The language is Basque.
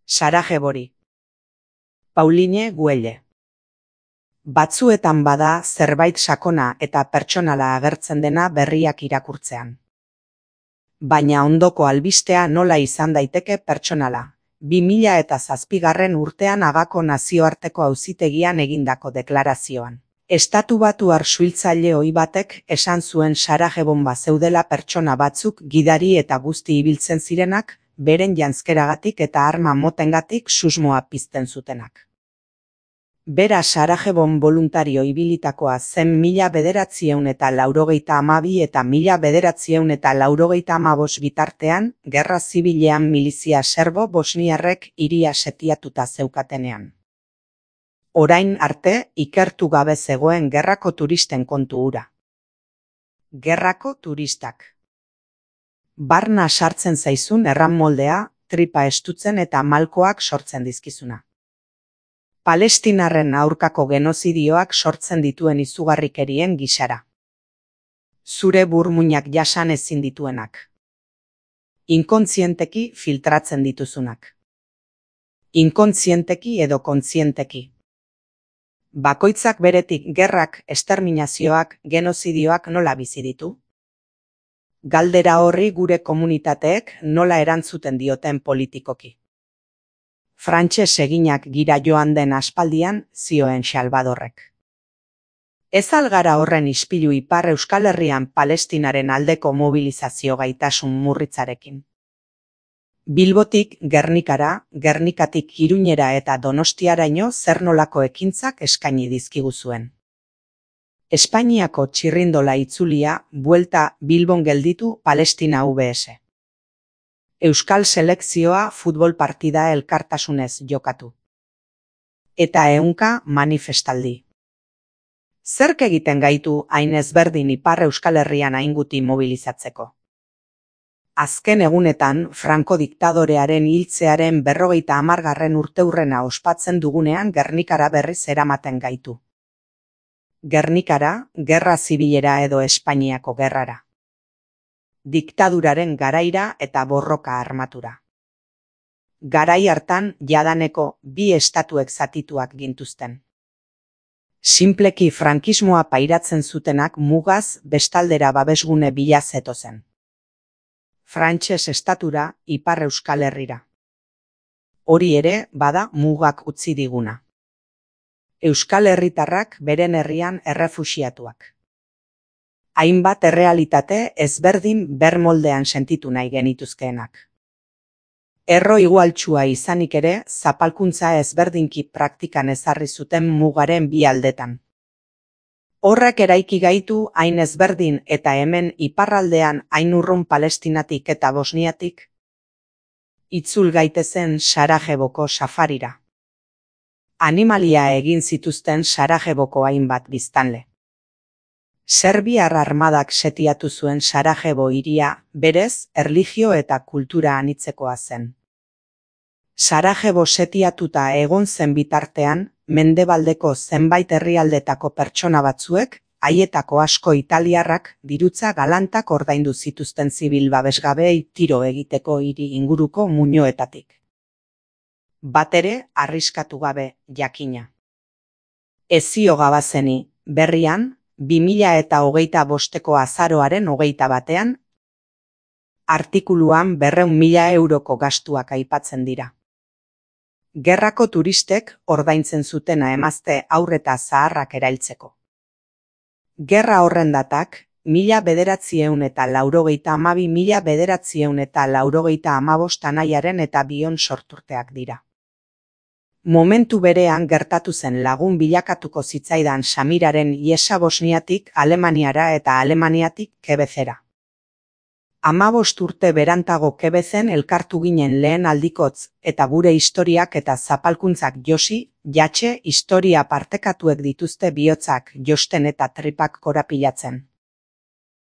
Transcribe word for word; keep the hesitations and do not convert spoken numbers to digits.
Sarajevori. Pauline Güelle. Batzuetan bada zerbait sakona eta pertsonala agertzen dena berriak irakurtzean. Baina ondoko albistea nola izan daiteke pertsonala. bi mila zazpigarren urtean Hagako nazioarteko auzitegian egindako deklarazioan. Estatubatuar suhiltzaile ohi batek esan zuen Sarajevon bazeudela pertsona batzuk gidari eta guzti ibiltzen zirenak, beren janzkeragatik eta arma motengatik susmoa pizten zutenak. Bera Sarajevon boluntario ibilitakoa zen mila bederatziehun eta laurogeita hamabi eta mila bederatziehun eta laurogeita hamabost bitartean, gerra zibilean milizia serbo-bosniarrek hiria setiatuta zeukatenean. Orain arte, ikertu gabe zegoen gerrako turisten kontu hura. Gerrako turistak. Barna sartzen zaizun erranmoldea, tripa estutzen eta malkoak sortzen dizkizuna. Palestinarren aurkako genozidioak sortzen dituen izugarrikerien gisara. Zure burmuinak jasan ezin dituenak. Inkontzienteki filtratzen dituzunak. Inkontzienteki edo kontzienteki. Bakoitzak beretik gerrak, esterminazioak, genozidioak nola bizi ditu? Galdera horri gure komunitateek nola erantzuten dioten politikoki. Frantses eginak gira joan den aspaldian, zioen Salvadorrek. Ez al gara horren ispilu Ipar Euskal Herrian Palestinaren aldeko mobilizazio gaitasun murritzarekin. Bilbotik Gernikara, Gernikatik Iruñera eta Donostiaraino zer nolako ekintzak eskaini dizkiguzuen. Espainiako txirrindola itzulia, buelta Bilbon gelditu Palestina V S. Euskal selekzioa futbol partida elkartasunez jokatu. Eta ehunka manifestaldi. Zerk egiten gaitu hain ezberdin Ipar Euskal Herrian hainguti mobilizatzeko? Azken egunetan, Franco diktadorearen hiltzearen berrogeita hamargarren urteurrena ospatzen dugunean Gernikara berriz eramaten gaitu. Gernikara, gerra zibilera edo Espainiako gerrara. Diktaduraren garaira eta borroka armatura. Garai hartan jadaneko bi estatuek zatituak gintuzten. Sinpleki frankismoa pairatzen zutenak mugaz bestaldera babesgune bila zetozen. Frantses estatura, Ipar Euskal Herrira. Hori ere bada mugak utzi diguna. Euskal herritarrak beren herrian errefuxiatuak. Hainbat errealitate ezberdin bermoldean sentitu nahi genituzkeenak. Erro igualtsua izanik ere, zapalkuntza ezberdinki praktikan ezarri zuten mugaren bi aldetan. Horrek eraiki gaitu hain ezberdin eta hemen iparraldean hain urrun Palestinatik eta Bosniatik. Itzul gaitezen Sarajevoko safarira. Animalia egin zituzten Sarajevoko hainbat biztanle. Serbiar armadak setiatu zuen Sarajevo hiria, berez, erlijio eta kultura anitzekoa zen. Sarajevo setiatuta egon zen bitartean, mendebaldeko zenbait herrialdetako pertsona batzuek, haietako asko italiarrak, dirutza galantak ordaindu zituzten zibil babesgabeei tiro egiteko hiri inguruko muinoetatik. Batere, arriskatu gabe, jakina. Ezio gabazeni, berrian, bi mila eta hogeita bosteko azaroaren hogeita batean, artikuluan berrehun mila euroko gastuak aipatzen dira. Gerrako turistek ordaintzen zutena emazte aurreta zaharrak erailtzeko. Gerra horren datak, mila bederatziehun eta laurogeita hamabi mila bederatziehun eta laurogeita hamabost anaiaren eta bion sorturteak dira. Momentu berean gertatu zen lagun bilakatuko zitzaidan Samiraren iesa Bosniatik Alemaniara eta Alemaniatik Quebecera. Hamabost urte berantago Quebezen elkartu ginen lehen aldikotz eta gure historiak eta zapalkuntzak josi, jatxe historia partekatuek dituzte bihotzak josten eta tripak korapilatzen.